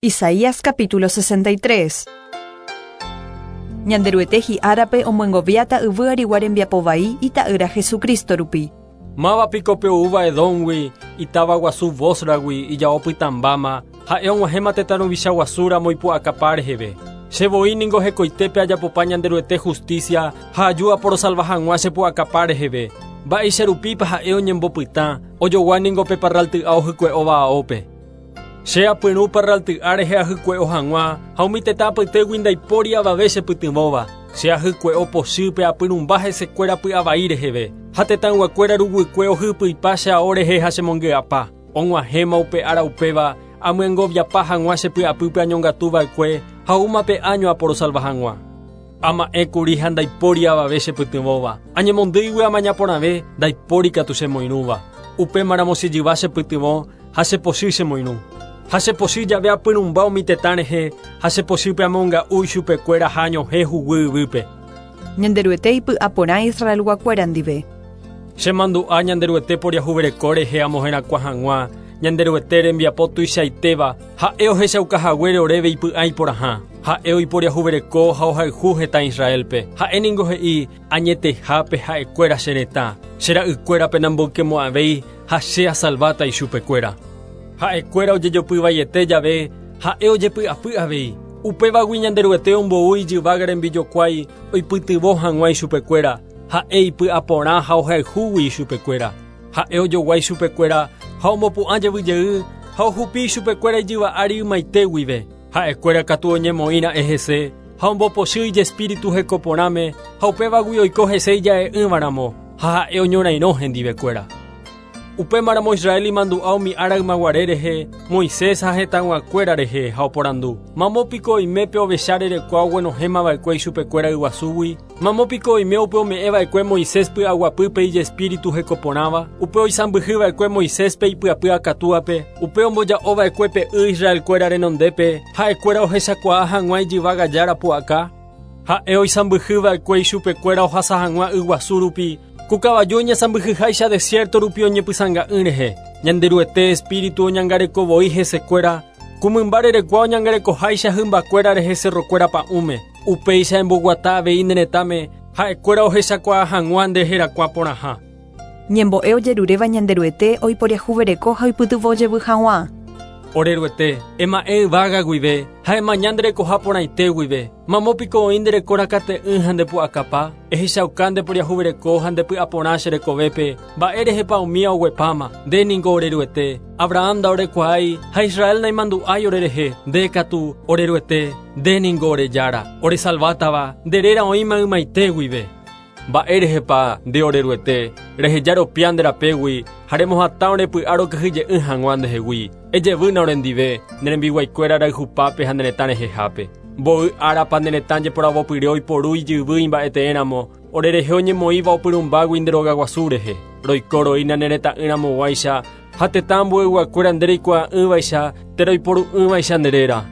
Isaías capítulo 63. Ñanderuete hi'árape omyengoviáta yvy arigua rembiapo vai Ita'ýra Jesucristo rupi. Máva piko pe oúva Edómgui, itáva guasu Bósragui, ijao pytãmbáma, ha'e og̃uahẽma tetã ruvicha guasu ramo ipu'akapa reheve. Che voi ningo hekoitépe ajapopa Ñanderuete hustísia ha aju aporosalva hag̃ua che pu'akapa reheve. Mba'éicha rupípa ha'e oñembopytã, ojogua ningo pe parralty'a ohykue'óva aópe. Che apyrũ parralty'a rehe ahykue'o hag̃ua, ha umi tetã apytégui ndaipóri avave chepytyvõva. Che ahykue'o pochýpe apyrũmba hesekuéra py'avai reheve, ha tetãyguakuéra ruguykue ohypyipa che ao rehe ha chemongy'apa. Og̃uahẽma upe ára upéva, amyengoviapa hag̃ua che py'apýpe añongatu va'ekue ha oúma pe áño aporosalva hag̃ua. Ama'ẽ kuri ha ndaipóri avave chepytyvõva. Añemondýigui amaña porãve, ndaipóri katu chemoirũva. Upémaramo che jyva chepytyvõ ha che pochy chemoirũ. Ha che pochy jave apyrũmba umi tetã rehe, ha che pochýpe amonga'u ichupekuéra ha añohẽ huguy yvýpe. Ñanderuete ipy'a porã Israelguakuéra ndive. Che mandu'a Ñanderuete poriahuvereko rehe amoherakuã hag̃ua Ñanderuete rembiapo tuichaitéva, ha'e ohechauka haguére oréve ipy'a iporãha. Ha'e oiporiahuvereko ha ohayhu hetã Israélpe. Ha'e ningo he'i, Añetehápe ha'ekuéra che retã, che ra'ykuérape namboykemo'ãvéi ha che asalváta ichupekuéra. Ha'ekuéra ojejopy vaiete jave, ha'e ojepy'apy avei. Upévagui Ñanderuete ombou ijyvága rembijokuái oipytyvõ hag̃ua ichupekuéra, ha'e ipy'aporã ha ohayhúgui ichupekuéra. Ha'e ojogua ichupekuéra ha omopu'ã jevy jey ha ohupi ichupekuéra ijyva ári ymaite guive. Ha'ekuéra katu oñemoĩ ra'e hese ha ombopochy ijespíritu heko porãme ha upévagui oiko hese ija'e'ỹva ramo ha ha'e oñorairõ hendivekuéra. Upémaramo Israel imandu'a umi ára ymaguare rehe, Moisés ha hetãyguakuéra rehe, ha oporandu, Mamo piko oime pe ovecha rerekua oguenohẽma va'ekue ichupekuéra yguasúgui? Mamo piko oime upe ome'ẽ va'ekue Moisés py'aguapýpe ijespíritu hekoporãva, upe oisãmbyhy va'ekue Moiséspe ipyapy akatúape, upe omboja'o va'ekue pe y Israelkuéra renondépe, ha'ekuéra ohechakuaa hag̃ua ijyvága Jára pu'aka? Ha'e oisãmbyhy va'ekue ichupekuéra ohasa hag̃ua yguasu rupi, ku kavaju oñesãmbyhyháicha desiérto rupi oñepysãnga'ỹ rehe. Ñanderuete espíritu oñangareko voi hesekuéra, ku mymba rerekua oñangarekoháicha hymbakuéra rehe cerrokuéra pa'ũme. Upéicha emboguata avei ne retãme, ha'ekuéra ohechakuaa hag̃ua nde herakuã porãha. Ñembo'e ojeruréva Ñanderuete oiporiahuvereko ha oipytyvõ jevy hag̃ua. Ore Ruete, ema'ẽ yvága guive, ha emaña nde rekoha porãite guive. Mamo piko oĩ nde reko rakate'ỹ ha nde pu'akapa? Ehechauka nde poriahuvereko ha nde py'aporã che rekovépe, mba'e rehepa umía oguepáma. Nde ningo ore Ruete. Abraham ndaorekuaái ha Israel naimandu'ái orerehe. Nde katu, ore Ruete, nde ningo ore Jára, oresalvátava, nde réra oĩma ymaite guive. Mba'érehepa, nde ore Ruete, reheja ropia nde rapégui ha remohatã ore py'a rokyhyje'ỹ hag̃ua ndehegui? Ejevýna orendive, ne rembiguaikuéra rayhupápe ha ne retã rehehápe. Mboy árapa ne retã jeporavopyre oiporu ijyvy imba'eteéramo, orerehe oñemoĩva opyrũmbágui nde rogaguasu rehe. Roiko roína ne retã'ỹramoguáicha ha tetã ambueyguakuéra nde reikuaa'ỹvaicha térã oiporu'ỹvaicha nde réra.